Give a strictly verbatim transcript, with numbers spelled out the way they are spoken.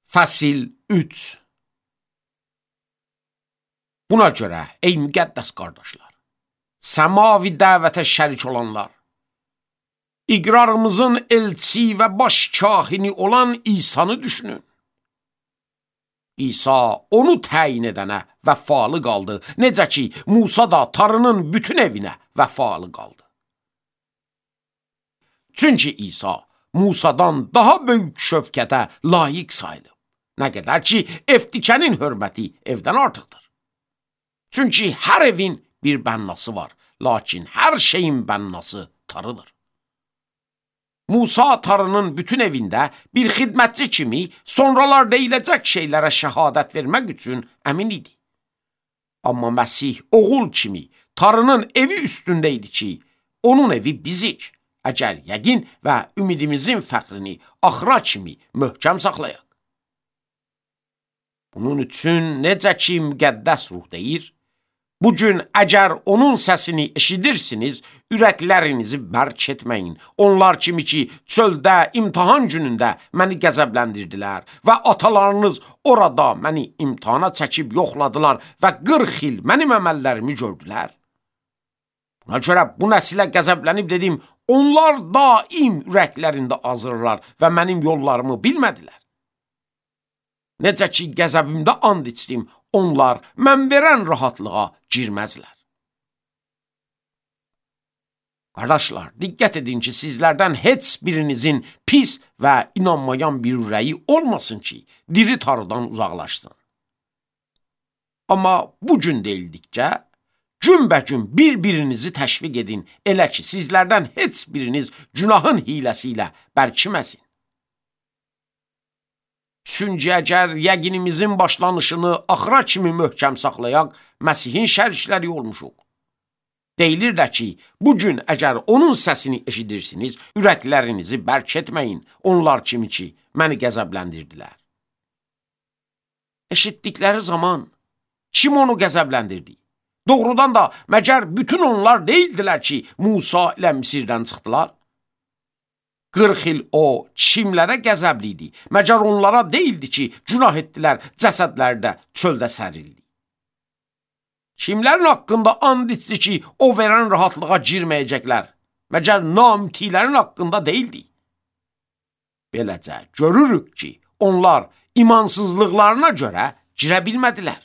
Fəsil üç. Buna görə, ey müqəddəs qardaşlar, səmavi dəvətə şərik olanlar, iqrarımızın elçisi və baş kahini olan İsa'nı düşünün. İsa onu təyin edənə vəfalı qaldı, necə ki, Musa da tarının bütün evinə vəfalı qaldı. Çünki İsa Musadan daha böyük şöfqətə layiq sayılıb. Nə qədər ki, evdikənin hörməti evdən artıqdır. Çünki hər evin bir bənnası var, lakin hər şeyin bənnası tarıdır. Musa tarının bütün evində bir xidmətçi kimi sonralar deyiləcək şeylərə şəhadət vermək üçün əmin idi. Amma Məsih oğul kimi tarının evi üstündə idi ki, onun evi bizik, əgər yəqin və ümidimizin fəxrini axıra kimi möhkəm saxlayaq. Bunun üçün necə ki müqəddəs ruh deyir, bugün əgər onun səsini eşidirsiniz, ürəklərinizi bərk etməyin. Onlar kimi ki, çöldə imtahan günündə məni qəzəbləndirdilər və atalarınız orada məni imtahana çəkib yoxladılar və qırx il mənim əməllərimi gördülər. Buna görə bu nəsilə qəzəblənib dedim, onlar daim ürəklərində azırlar və mənim yollarımı bilmədilər. Necə ki, qəzəbimdə and içdim, onlar mən verən rahatlığa girməzlər. Qardaşlar, diqqət edin ki, sizlərdən heç birinizin pis və inanmayan bir ürəyi olmasın ki, diri tarıdan uzaqlaşsın. Amma bu gün deyildikcə, günbəgün bir-birinizi təşviq edin, elə ki, sizlərdən heç biriniz günahın hiləsi ilə bərkiməsin. Çünki əgər yəqinimizin başlanışını axıra kimi möhkəm saxlayaq, Məsihin şərikləri olmuşuq. Deyilir də ki, bugün əgər onun səsini eşidirsiniz, ürəklərinizi bərk etməyin, onlar kimi ki, məni qəzəbləndirdilər. Eşitdikləri zaman kim onu qəzəbləndirdi? Doğrudan da məgər bütün onlar deyildilər ki, Musa ilə Misirdən çıxdılar? qırx il o kimlərə qəzəbli idi? Məgər onlara deyildi ki, günah etdilər, cəsədləri də çöldə sərildi. Kimlərin haqqında and içdi ki, o verən rahatlığa girməyəcəklər? Məgər namütilərin haqqında deyildi? Beləcə görürük ki, onlar imansızlıqlarına görə girə bilmədilər.